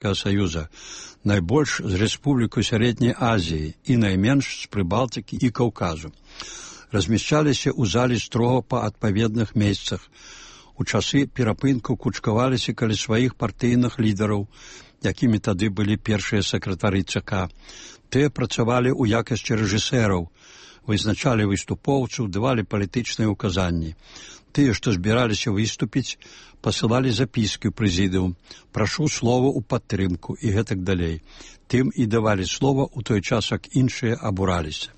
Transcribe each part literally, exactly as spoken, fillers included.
Саюза, найбольш з Рэспубліку Сярэдняй Азіі і найменш з Прыбалтыкі і Каўказу. Размяшчаліся ў залі строга па адпаведных месцах. У часы перапынку кучкаваліся каля сваіх партыйных лідараў, якімі тады былі першыя сакратары ЦК. Тыя працавалі ў якасці рэжысэраў, вызначалі выступоўцаў, давалі палітычныя ўказанні. Тыя, што збіраліся выступіць, пасылалі запіскі ў прэзідыум, прашу слова ў падтрымку і гэтак далей. Тым і давалі слова ў той час, як іншыя абураліся.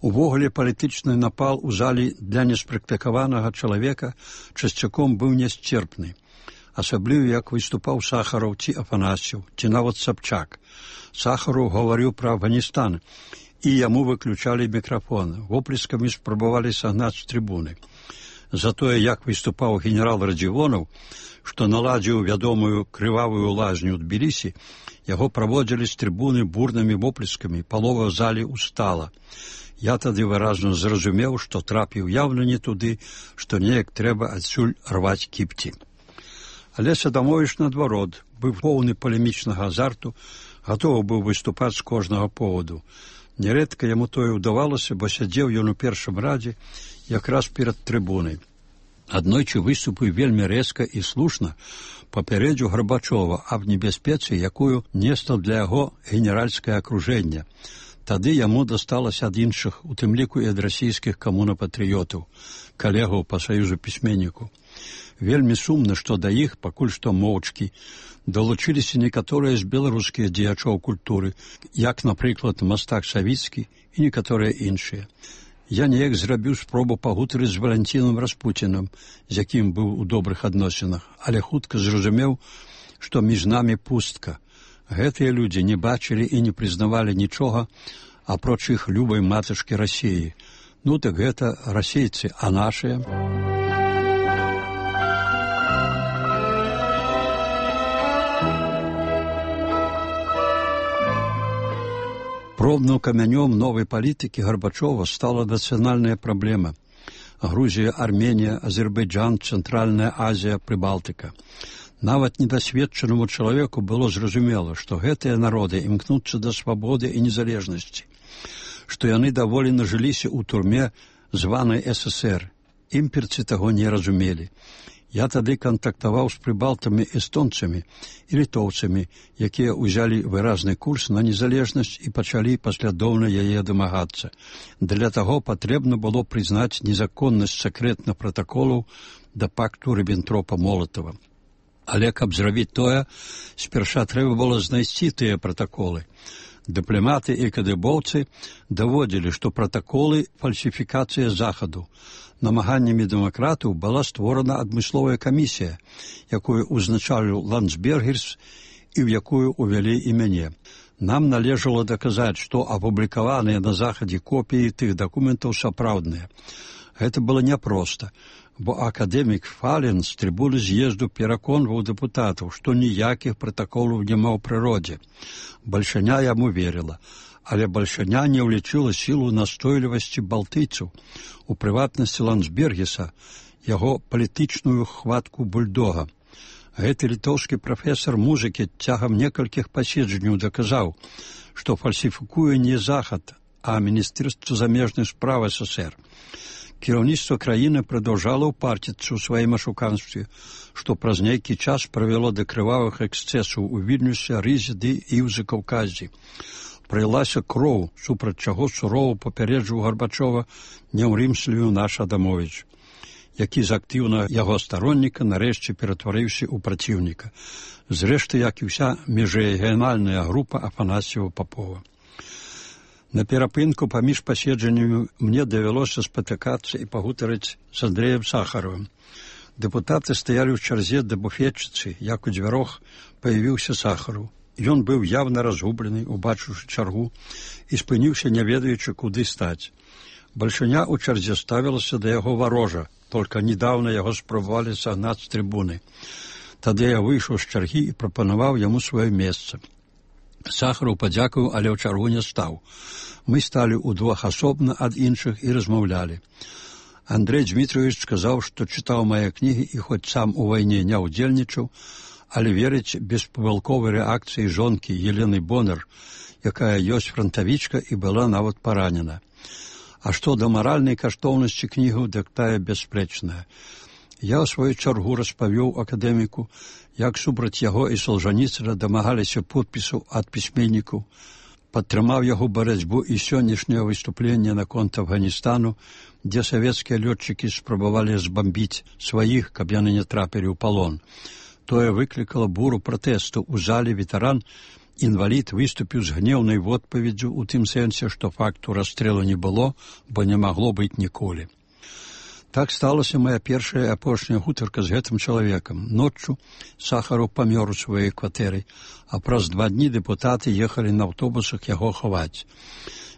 Увогуле палітычны напал у залі для неспрактыкаванага чалавека часцяком быў нясцерпны. Асабліва, як выступаў Сахараў ці Афанасьеў, ці нават Сабчак. Сахараў гаварыў пра Афганістан, і яму выключалі мікрафон. Воплескамі спрабавалі сагнаць з трыбуны. Затое, як выступаў генерал Радзівонаў, што наладзіў вядомую крывавую лазню ў Тбілісі, яго праводзілі з трыбуны бурнымі воплескамі, палова залі устала. Я тады выразна зразумеў, што трапіў яўна не туды, што неяк трэба адсюль рваць кіпці. Але Садамовіч, наадварот, быў поўны палемічнага азарту, гатовы быў выступаць з кожнага поводу. Нярэдка яму тое ўдавалася, бо сядзеў ён у першым радзе, якраз перад трыбунай. Аднойчы выступыў вельмі рэзка і слушна папярэдзіў Гарбачова аб небяспецы, якую несла для яго генеральскае акружэнне. Тады яму дасталася ад іншых, у тым ліку і ад расійскіх камунапатрыётаў, калегаў па саюзу пісьменніку. Вельмі сумна, што да іх, пакуль што моўчкі, далучыліся некаторыя з беларускіх дзеячоў культуры, як, напрыклад, мастак Савіцкі і некаторыя іншыя. Я неяк зрабіў спробу пагутарыць з Валянцінам Распуцінам, з якім быў у добрых адносінах, але хутка зразумеў, што між намі пустка. Гэтыя людзі не бачылі і не прызнавалі нічога, апроч іх любай матачкі Расіі. Ну так гэта расейцы, а нашыя? Пробным камянём новай палітыкі Гарбачова стала нацыянальная праблема. Грузія, Арменія, Азербайджан, Цэнтральная Азія, Прыбалтыка. Нават недасведчанаму чалавеку было зразумела, што гэтыя народы імкнуцца да свабоды і незалежнасці, што яны даволі нажыліся ў турме званай эс эс ер. Імперцы таго не разумелі. Я тады кантактаваў з прыбалтамі эстонцамі і літоўцамі, якія ўзялі выразны курс на незалежнасць і пачалі паслядоўна яе дамагацца. Для таго патрэбна было прызнаць незаконнасць сакрэтных пратаколаў да пакту Ріббентропа-Молатава. Але каб зрабіць тое, спярша трэба было знайсці тыя пратаколы. Дыпламаты і кадыбоўцы даводзілі, што пратаколы – фальсіфікацыя захаду. Намаганнямі дэмакратаў была створана адмысловая камісія, якую ўзначаліў Ландсбергерс і ў якую ўвялі і мяне. Нам належала даказаць, што апублікаваныя на захадзе копіі тых дакументаў сапраўдныя. Гэта было няпроста, бо акадэмік Фален з трыбуны з'езду пераконваў дэпутатаў, што ніякіх пратаколаў няма ў прыродзе. Бальшаня яму верыла, але бальшаня не ўлічыла сілу настойлівасці балтыйцаў, у прыватнасці Ландсбергеса, яго палітычную хватку бульдога. Гэты літоўскі прафесар музыкі цягам некалькіх паседжанняў даказаў, што фальсіфікуе не захад, а Міністэрства замежных спраў эс эс ер. Кіраўніцтва краіны прадаўжала ўпарціцца ў сваім ашуканстве, што праз нейкі час правяло да крывавых эксцэсаў у Вільнюсе, Рызе ды і ў Закаўказі. Прылася кроў, супраць чаго сурова папярэджваў Гарбачова няўрымслівы наш Адамовіч, які з актыўнага яго старонніка нарэшце ператварыўся ў праціўніка. Зрэшты, як і ўся міжрэгіянальная група Афанасьева-Папова. На перапынку паміж паседжаннямі мне давялося спатыкацца і пагутарыць з Андрэем Сахаровым. Дэпутаты стаялі ў чарзе да буфетчыцы, як у дзвярох паявіўся Сахаров. Ён быў явна разгублены, убачыўшы чаргу, і спыніўся, не ведаючы, куды стаць. Бальшаня ў чарзе ставілася да яго варожа, толькі недаўна яго спрабавалі сагнаць з трыбуны. Тады я выйшаў з чаргі і прапанаваў яму сваё месца. Сахаров падзякаваў, але ў чаргу не стаў. Мы сталі ўдвох асобна ад іншых і размаўлялі. Андрэй Дмітровіч сказаў, што чытаў мае кнігі і хоць сам у вайне не ўдзельнічаў, але верыць беспамылковай рэакцыі жонкі Елены Бонар, якая ёсць франтавічка і была нават паранена. А што да маральнай каштоўнасці кнігаў, дык тая бясспрэчная. Я ў сваю чаргу распавёў акадэміку, як супраць яго і Солжаніцына дамагаліся подпісаў ад пісьменнікаў, падтрымаў яго барацьбу і сённяшняе выступленне наконт Афганістану, дзе савецкія лётчыкі спрабавалі збамбіць сваіх, каб яны не трапілі ў палон. Тое выклікала буру пратэсту. У зале ветэран, інвалід, выступіў з гнеўнай водпаведдзю ў тым сэнсе, што факту расстрэлу не было, бо не магло быць ніколі. Так сталася моя першая і апошняя гутарка з гэтым чалавекам. Ноччу Сахаров памёр у сваёй кватэры, а праз два дні дэпутаты ехалі на аўтобусах яго хаваць.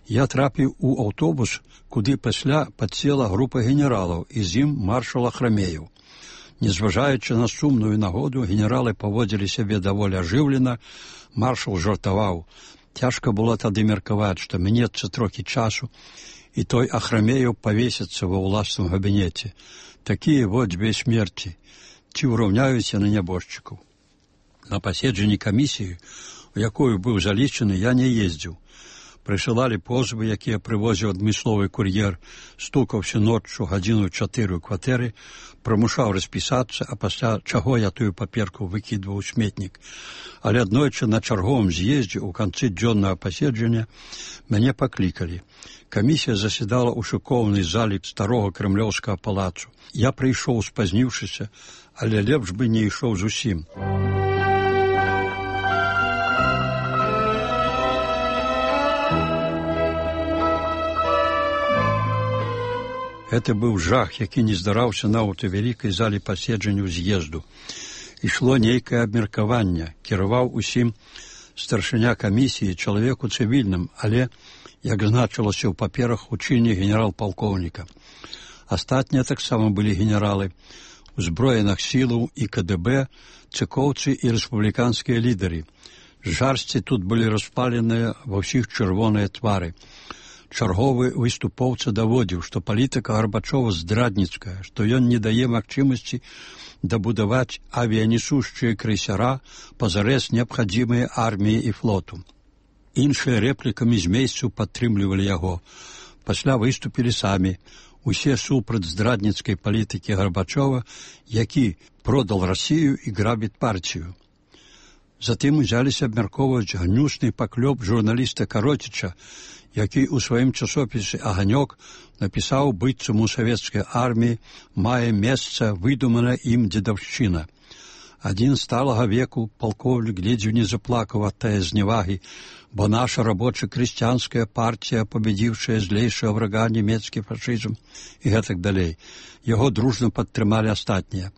Я трапіў у аўтобус, куды пасля падсела група генералаў, і з ім маршал Ахрамеев. Незважаючы на сумную нагоду, генералы паводзілі сябе даволі ажыўлена, маршал жартаваў. Цяжка было тады меркаваць, што мінецца трохі часу, і той Ахрамеев павесіцца ва ўласным габінеце. Такія вот дзве смерці. Ці ўраўняюць яны нябожчыкаў? На паседжанні камісіі, у якую быў залічаны, я не ездзіў. Прысылалі позвы, якія прывозіў адмысловы кур'ер, стукаўся ноччу гадзіну чатыры ў кватэры, прымушаў распісацца, а пасля чаго я тую паперку выкідваў у сметнік. Але аднойчы на чарговым з'ездзе ў канцы дзённага паседжання мяне паклікалі. Камісія заседала ў шыкоўнай залі старога крэмлёўскага палацу. Я прыйшоў спазніўшыся, але лепш бы не ішоў зусім. Гэта быў жах, які не здараўся нават у вялікай зале паседжанняў з'езду. Ішло нейкае абмеркаванне, кіраваў усім старшыня камісіі, чалавеку цывільным, але, як значылася ў паперах, у чыне генерал-палкоўніка. Астатнія таксама былі генералы, узброеных сілаў і ка дэ бэ, цыкоўцы і рэспубліканскія лідары. Жарсці тут былі распаленыя ва ўсіх чырвоныя твары. Чарговы выступоўца даводзіў, што палітыка Гарбачова здрадніцкая, што ён не дае магчымасці дабудаваць авіянесушчыя крейсера, пазарэз неабхадзімыя арміі і флоту. Іншыя рэплікамі з месцаў падтрымлівалі яго. Пасля выступілі самі. Усе супраць здрадніцкай палітыкі Гарбачова, які продал Расію і грабіць партію. Затым узяліся абмяркоўваць гнюсны паклёп журналіста Кароціча, які ў сваім часопісе «Аганёк» напісаў, быццам у савецкай арміі мае месца выдуманая ім дзедаўшчына. Адзін сталага веку палкоўнік ледзьве не заплакаў ад тае зневагі, бо наша рабоча-крысціянская партія, пабедзіўшая злейшага врага нямецкі фашызм і гэтак далей. Яго дружна падтрымалі астатнія.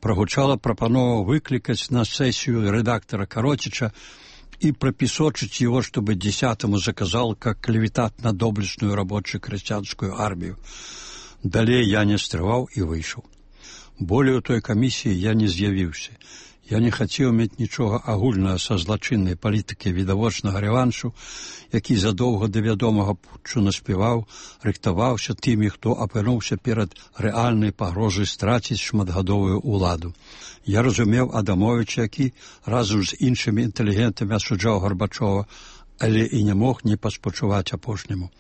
Прагучала прапанова выклікаць на сесію рэдактара Кароціча и пропесочить его, чтобы десятому заказал, как клеветать на доблестную рабоче-крестьянскую армию. Далее я не стрываў и вышел. Более у той комиссии я не з'явіўся. Я не хацеў мець нічога агульнага са злачыннай палітыкай відавочнага рэваншу, які задоўга да вядомага путчу наспяваў, рыхтаваўся тымі, хто апынуўся перад рэальнай пагрозай страціць шматгадовую ўладу. Я разумеў Адамовіча, які разам з іншымі інтэлігентамі асуджаў Гарбачова, але і не мог не паспачуваць апошняму.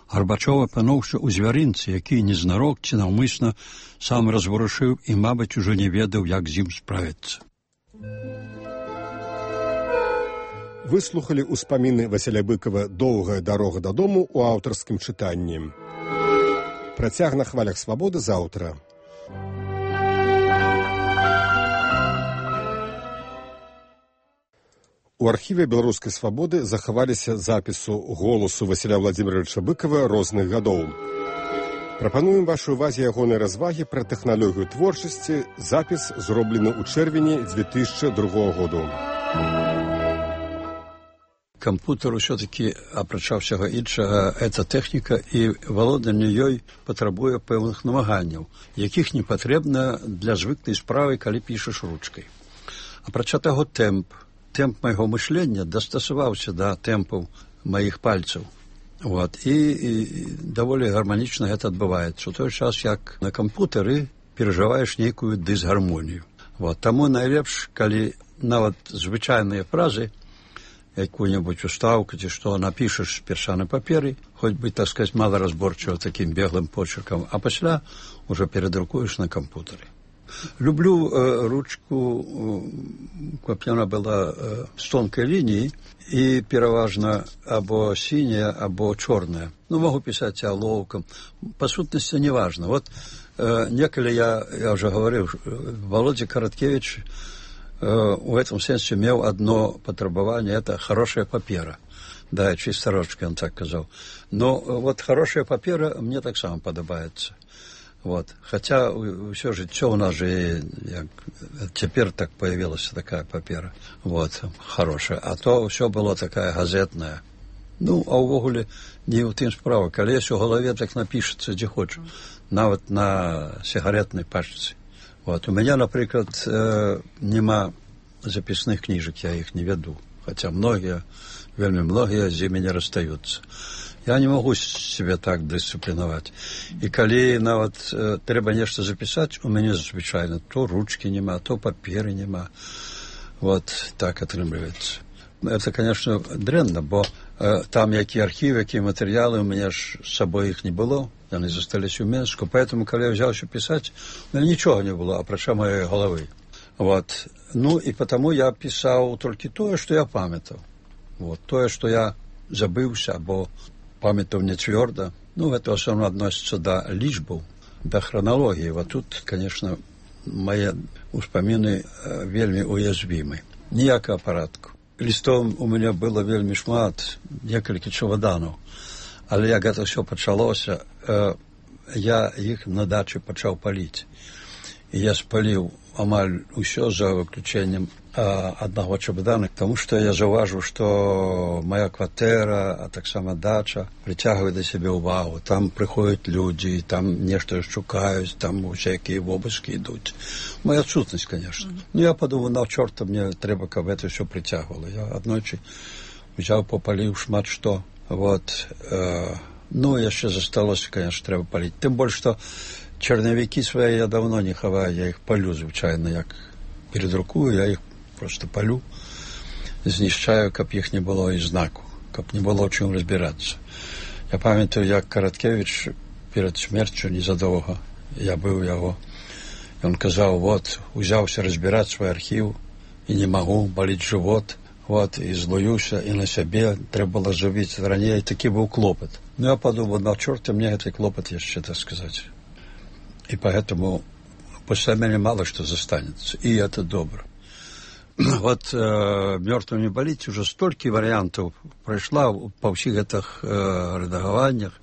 Гарбачов апынуўся ў звярынцы, які незнарок ці наўмысна сам разварушыў і, мабыць, ужо не ведаў, як з ім справіцца. Выслухалі ўспаміны Васіля Быкова «Доўгая дарога дадому» у аўтарскім чытанні. Працяг на хвалях свабоды заўтра. У архіве беларускай свабоды захаваліся запісу голасу Васіля Владзіміровича Быкова розных гадоў. Прапануем вашай увазе ягонай развагі пра тэхналогію творчасці. Запіс зроблены ў чэрвені дзве тысячы другога году. Кампутер ўсё-такі, апрача ўсяго іншага, гэта тэхніка, і валоданне ёй патрабуе пэўных намаганняў, якіх не патрэбна для звыклай справы, калі пішаш ручкай. Апрача таго, тэмп. Тэмп майго мышлення дастасаваўся да тэмпаў маіх пальцаў. Вот. І, і даволі гарманічна гэта адбываецца. У той час, як на кампутары перажываеш нейкую дысгармонію. Вот. Таму найлепш, калі нават звычайныя фразы, якую-нибудь устаўку ці што напішаш перша на паперы, хоць бы, так сказать, маларазборчыва такім беглым почеркам, а пасля уже перадрукуеш на кампутары. Люблю э, ручку, э, каб яна была э, з тонкай лініі і пераважна або сіняя, або чорная. Ну, могу пісаць алоўкам. Па сутнасці не важно. Вот э, некалі я, я уже говорил, Володя Короткевич в этом сенсе имел одно потребование, это хорошая папера. Да, чисторочка, он так сказал. Но вот хорошая папера мне так само подобается. Вот. Хотя все життя у нас же, як, теперь так появилась такая папера. Вот, хорошая. А то все было такая газетная. Ну, а увогуле не у тым справа. Калі есть у голове, так напишется, где хочу. Нават на сигаретной пачцы. Вот. У меня, например, э, нема записных книжек, я их не веду. Хотя многие, вельми многие з ими не расстаются. Я не могу себе так дисциплиновать. И коли нават э, треба нечто записать, у меня звичайно то ручки нема, то паперы нема. Вот так отрымливается. Это, конечно, дрэнна, бо э, там які архивы, які материалы, у меня ж с собой их не было. Они застались у Минску, поэтому, когда я взялся писать, у меня ничего не было, апрача моей головы. Вот. Ну, и потому я писал только то, что я памятал. Вот. То, что я забылся, або памятал не твердо. Ну, это в основном относится до личбов, до хронологии. Вот тут, конечно, мои успомины э, вельми уязвимы. Ніякого порядку. Листом у меня было вельми шмат, некалькі чемоданов. Але як гэта все пачалося, э, я іх на дачы пачаў паліць. І я спаліў амаль усё за выключэннем э, аднаго чемодана, тому што я заўважыў, што моя кватэра, а таксама дача прыцягвае да сябе ўвагу. Там прыходзяць людзі, там нешта шукаюць, там усякія вобыскі ідуць. Моя адсутнасць, конечно. Mm-hmm. Ну, я падумаў, на чорта мне трэба, каб гэта ўсё прыцягвала. Я аднойчы узяў, попаліў шмат што. Вот, э, ну, яшчэ засталося, конечно, трэба паліць. Тым больш, што чарнавікі свае я давно не хаваю, я іх палю, звычайна, як передрукую, я іх просто палю, знішчаю, каб іх не было і знаку, каб не было ў чым разбірацца. Я памятаю, як Короткевич перад смерцю незадоўга, я быў яго, ён казаў, вот, узяўся разбіраць свой архіў, і не магу, баліць жывот, вот, и злуюся, и на себе треба было живить ранее, и таки был клопот. Ну, я подумал, на черта мне этот клопот еще, так сказать. И поэтому после меня мало что застанется, и это добро. Вот э, «Мертвым не болеть» уже столько вариантов прошла по всех этих э, редагованиях,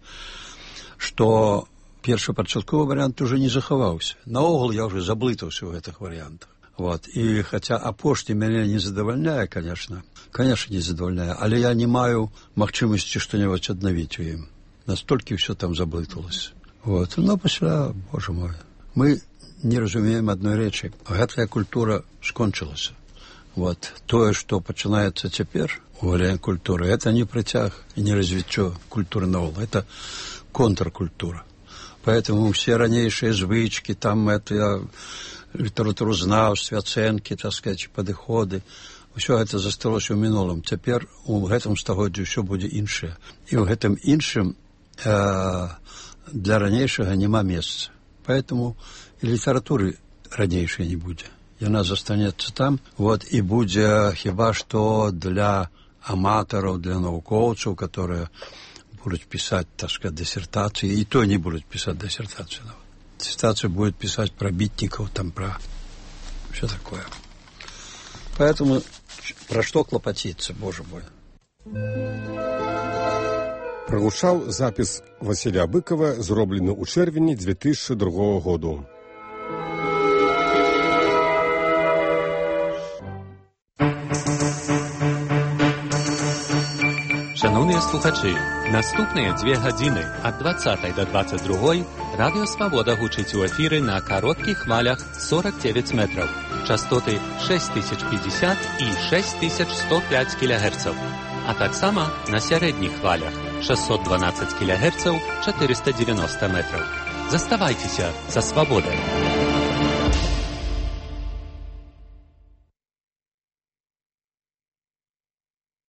что першапачатковый вариант уже не заховался. Наогул я уже заблытался в этих вариантах. Вот. И хотя апошні меня не задовольняет, конечно, конечно, не задовольняет, але я не маю магчымасці что-нибудь аднавіць у ім. Настолькі все там заблыталось. Вот. Но пасля, боже мой, мы не разумеем одной речи. Гэтая культура скончылася. Вот. Тое, что пачынаецца цяпер у варыянт культуры, это не працяг и не развіццё культуры наогул, это контркультура. Поэтому все ранейшие звычки, там это літаратуразнаўстве, ацэнкі, так сказать, падыходы, ўсё гэта засталося ў мінулым. Цяпер у гэтым стагоддзі ўсё будзе іншае. І ў гэтым іншым э, для ранейшага няма месца. Поэтому і літаратуры ранейшай не будзе. Яна застанецца там, вот, і будзе хіба што для аматараў, для навукоўцаў, которые будуць пісаць, так сказать, диссертацыі, і то не будуць пісаць диссертацыю нават. Диссертацию будет писать про битников, там про все такое. Поэтому про что клопотиться, боже мой. Прагучаў запіс Васіля Быкова, зроблены ў чэрвені две тысячи другого году. Шановні слухачі, наступныя дзве гадзіны ад двадцатай да двадцать другой Радыё Свабода гучыць у эфіры на кароткіх хвалях сорок девять метров, частоты шесть тысяч пятьдесят і шесть тысяч сто пять килогерцаў, а таксама на сярэдніх хвалях шестьсот двенадцать килогерцаў, четыреста девяносто метров. Заставайцеся са Свабодай.